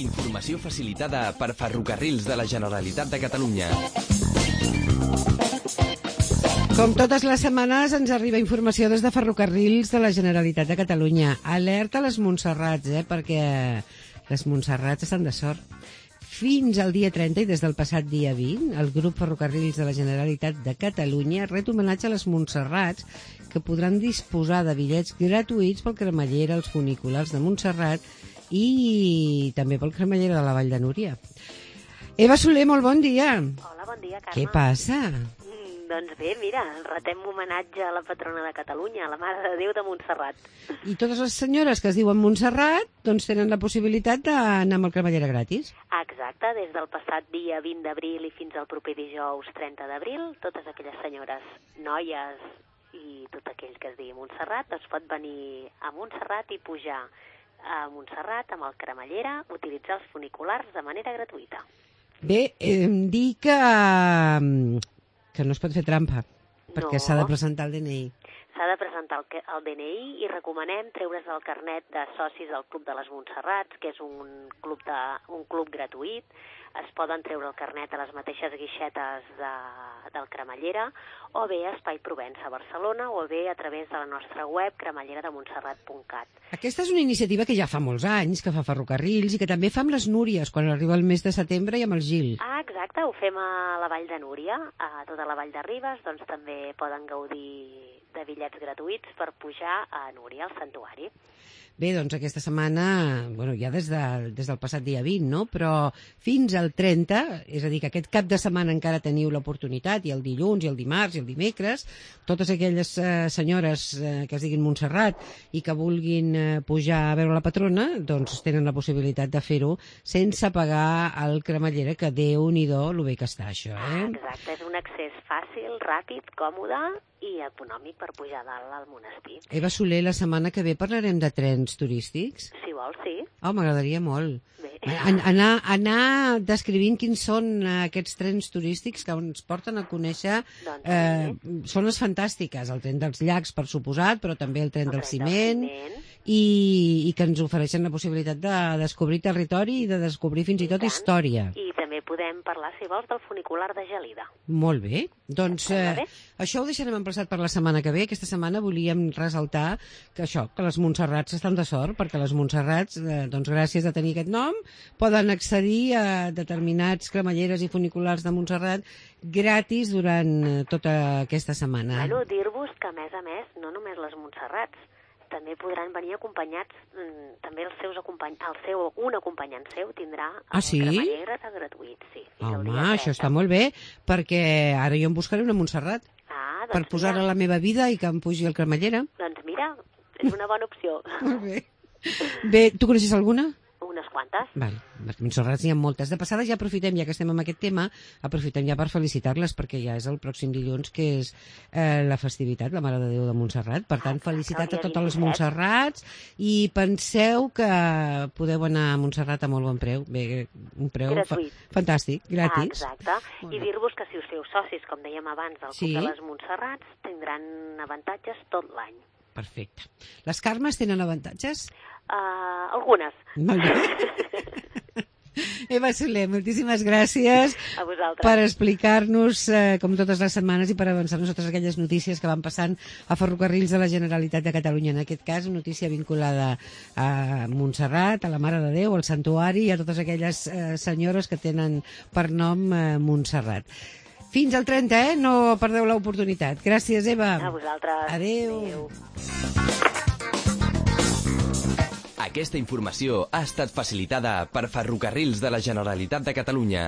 Informació facilitada per Ferrocarrils de la Generalitat de Catalunya. Com totes les setmanes ens arriba informació des de Ferrocarrils de la Generalitat de Catalunya. Alerta a les Montserrats, perquè les Montserrats estan de sort. Fins al dia 30 i des del passat dia 20, el grup Ferrocarrils de la Generalitat de Catalunya ret homenatge a les Montserrats que podran disposar de bitllets gratuïts pel Cremallera, els funiculars de Montserrat i també pel Cremallera de la Vall de Núria. Eva Soler, molt bon dia. Hola, bon dia, Carme. Què passa? Doncs bé, mira, retem homenatge a la patrona de Catalunya, a la Mare de Déu de Montserrat. I totes les senyores que es diuen Montserrat doncs tenen la possibilitat d'anar amb el Cremallera gratis. Exacte, des del passat dia 20 d'abril i fins al proper dijous 30 d'abril, totes aquelles senyores, noies i tot aquell que es digui Montserrat, doncs pot venir a Montserrat i pujar a Montserrat amb el Cremallera, utilitzar els funiculars de manera gratuïta. Bé, dir que no es pot fer trampa, perquè s'ha de presentar el DNI. S'ha de presentar el DNI i recomanem treure's el carnet de socis del Club de les Montserrats, que és un club gratuït. Es poden treure el carnet a les mateixes guixetes del Cremallera, o bé a Espai Provença a Barcelona, o bé a través de la nostra web cremallerademontserrat.cat. Aquesta és una iniciativa que ja fa molts anys, que fa Ferrocarrils, i que també fa amb les Núries, quan arriba el mes de setembre, i amb el Gil. Ah, exacte, ho fem a la Vall de Núria, a tota la Vall de Ribes, doncs també poden gaudir de bitllets gratuïts per pujar a Núria, al santuari. Bé, doncs aquesta setmana, ja des del passat dia 20, no? Però fins al 30, és a dir, que aquest cap de setmana encara teniu l'oportunitat, i el dilluns, i el dimarts, i el dimecres, totes aquelles senyores que es diguin Montserrat i que vulguin pujar a veure la patrona, doncs tenen la possibilitat de fer-ho sense pagar el Cremallera, que Déu-n'hi-do lo bé que està això, Exacte, és un accés fàcil, ràpid, còmode i econòmic per pujar dalt al monestir. Eva Soler, la setmana que ve parlarem de trens turístics? Si vols, sí. Oh, m'agradaria molt. Bé. Anar descrivint quins són aquests trens turístics que ens porten a conèixer zones fantàstiques. El tren dels llacs, per suposat, però també el tren del ciment, i que ens ofereixen la possibilitat de descobrir territori i de descobrir fins i tot història. I també podem parlar, si vols, del funicular de Gelida. Molt bé. Doncs això ho deixarem emplaçat per la setmana que ve. Aquesta setmana volíem ressaltar que les Montserrats estan de sort, perquè les Montserrats, doncs gràcies a tenir aquest nom, poden accedir a determinats cremalleres i funiculars de Montserrat gratis durant tota aquesta setmana. Bueno, dir-vos que, a més, no només les Montserrats, també podran venir acompanyats, també un acompanyant seu tindrà el cremallera gratuït, sí. Home, això està molt bé, perquè ara jo em buscaré una Montserrat per posar-la a la meva vida i que em pugi el cremallera. Doncs mira, és una bona opció. Molt bé. Bé, tu coneixes alguna? Unes quantes. Vale, perquè Montserrats n'hi ha moltes. De passada ja aprofitem, ja que estem amb aquest tema, aprofitem ja per felicitar-les, perquè ja és el pròxim dilluns, que és la festivitat, la Mare de Déu de Montserrat. Per tant, felicitat a totes les Montserrats, i penseu que podeu anar a Montserrat a molt bon preu. Bé, un preu fantàstic, gratis. Exacte. I dir-vos que si us feu socis, com dèiem abans, del Club de les Montserrats, tindran avantatges tot l'any. Perfecte. Les Carmes tenen avantatges? Algunes. Molt bé. Eva Soler, moltíssimes gràcies per explicar-nos, com totes les setmanes, i per avançar-nos totes aquelles notícies que van passant a Ferrocarrils de la Generalitat de Catalunya. En aquest cas, una notícia vinculada a Montserrat, a la Mare de Déu, al santuari i a totes aquelles senyores que tenen per nom Montserrat. Fins al 30, no perdeu l'oportunitat. Gràcies, Eva. A vosaltres. Adéu. Aquesta informació ha estat facilitada per Ferrocarrils de la Generalitat de Catalunya.